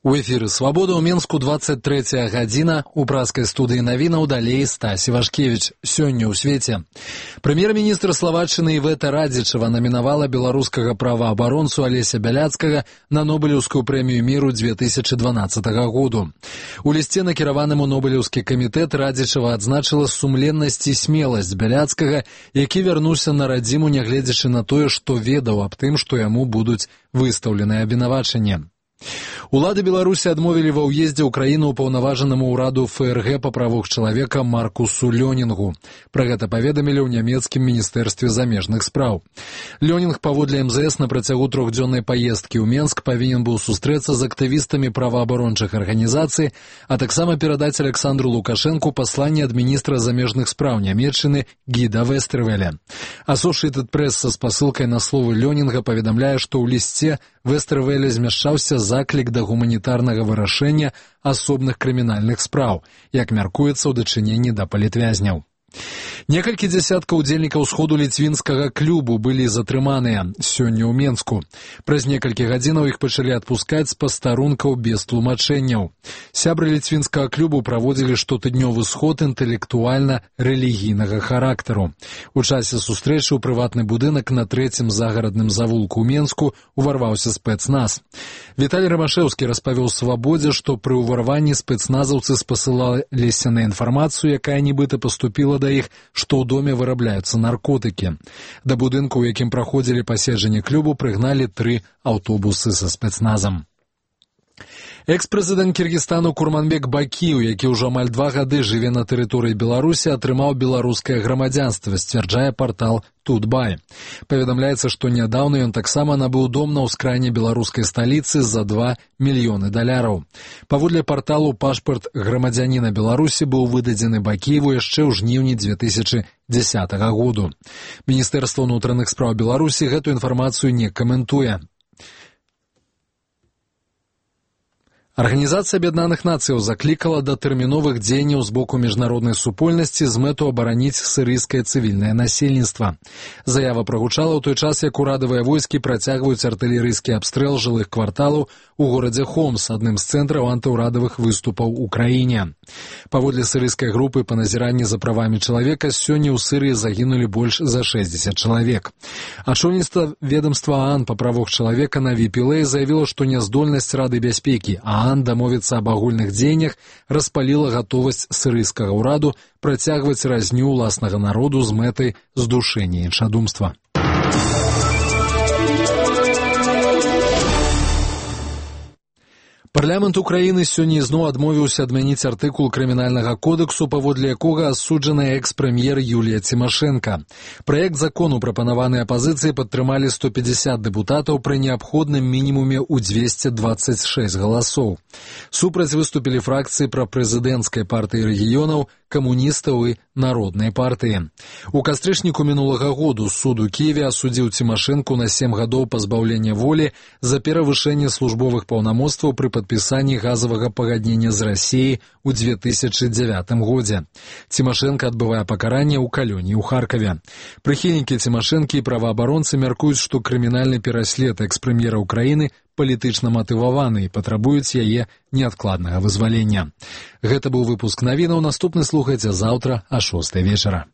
У эфіры «Свабода» ў Менску 23 гадзіна. У праскай студыі навінаў далей Стась Івашкевіч. Сёння ў свеце. Прэм'ер-міністр Славаччыны Івета Радзічава намінавала беларускага праваабаронцу Алеся Бяляцкага на Нобелеўскую прэмію міру 2012 году. У лісце, накіраваным у Нобелеўскі камітэт, Радзічава адзначыла сумленнасць і смеласць Бяляцкага, які вярнуўся на радзіму, нягледзячы на тое, што ведаў аб тым, што яму будуць выстаўленыя абвінавачанні. Улады Беларусі адмовілі ва ўездзе ў краіну ўпаўнаважанаму ўраду ФРГ па правах чалавека Маркусу Лёнінгу. Пра гэта паведамілі ў нямецкім міністэрстве замежных спраў. Лёнінг паводле МЗС на працягу трохдзённай паездкі ў Менск павінен быў сустрэцца з актывістамі праваабарончых арганізацый, а таксама перадаць Александру Лукашэнку пасланне ад міністра замежных спраў Нямецчыны Гіда Вестервеля. Associated Press са спасылкай на словы Лёнінга паведамляе, што ў лісце Вестервеля змяшчаўся заклік да гуманітарнага вырашэння асобных крымінальных спраў, як мяркуецца ў дачыненні да палітвязняў. Некалькі дзясяткаў удзельнікаў сходу ліцвінскага клубу былі затрыманыя сёння ў Менску. Праз некалькі гадзінаў іх пачалі адпускаць з пастарункаў без тлумачэнняў. Сябры ліцвінскага клубу праводзілі штотыднёвы сход інтэлектуальна-рэлігійнага характару. У часе сустрэчы ў прыватны будынак на 3-м загарадным завулку ў Менску уварваўся спецназ. Віталій Рамашэўскі распавёў «Свабодзе», што пры ўварванні спецназаўцы спасылаліся на інфармацыю, якая нібыта паступіла да іх, што ў доме вырабляюцца наркотыкі. Да будынку, у якім праходзілі паседжанні клубу, прыгналі 3 аўтобусы са спецназам. Экс-прэзідэнт Кіргізстану Курманбек Бакіеў, які ўжо амаль 2 гады жыве на тэрыторыі Беларусі, атрымаў беларускае грамадзянства, сцвярджае партал Тутбай. Паведамляецца, што нядаўна ён таксама набыў дом на ўскраіне беларускай сталіцы за $2 мільёны. Паводле парталу, пашпарт грамадзяніна Беларусі быў выдадзены Бакіеву яшчэ ў жніўні 2010 году. Міністэрства ўнутраных спраў Беларусі гэту інфармацыю не каментуе. Арганізацыя Аб'яднаных Нацыяў заклікала да тэрміновых дзеянняў з боку міжнароднай супольнасці з мэту абараніць сірыйскае цывільнае насельніцтва. Заява прагучала ў той час, як урадавыя войскі працягваюць артылерыйскі абстрэл жылых кварталаў у горадзе Хомс, адным з цэнтраў антыўрадавых выступаў у краіне. Паводле сірыйскай групы па назіранні за правамі чалавека, сёння ў Сірыі загінулі больш за 60 чалавек. Ачольніцтва ведамства ААН па правах чалавека на VPLA заявіла, што няздольнасць Рады бяспекі ААН дамовіцца аб агульных дзеяннях распаліла гатовасць сірыйскага ўраду працягваць разню ўласнага народу з мэтай здушэння іншадумства. Парламент Украіны сёння ізноў адмовіўся адмяніць артыкул крымінальнага кодексу, паводле якога асуджаная экс-прэм'ер Юлія Цімашэнка. Праект закону, прапанаваны апазіцыяй, падтрымалі 150 дэпутатаў пры неабходным мінімуме ў 226 галасоў. Супраць выступілі фракцыі прапрэзідэнцкай партыі рэгіёнаў, камуністаў і народнай партыі. У кастрычніку мінулага году суд у Кіеве асудзіў Цімашэнку на 7 гадоў пазбаўлення волі за перавышэнне службовых паўнамоцтваў пры падпісанні газавага пагаднення з Расіяй у 2009 годзе. Цімашэнка адбывае пакаранне ў калоніі ў Харкаве. Прыхільнікі Цімашэнкі і праваабаронцы мяркуюць, што крымінальны пераслед экс-прэм'ера Украіны палітычна матываваны і патрабуюць яе неадкладнага вызвалення. Гэта быў выпуск навінаў. Наступны слухайце заўтра а 6 вечара.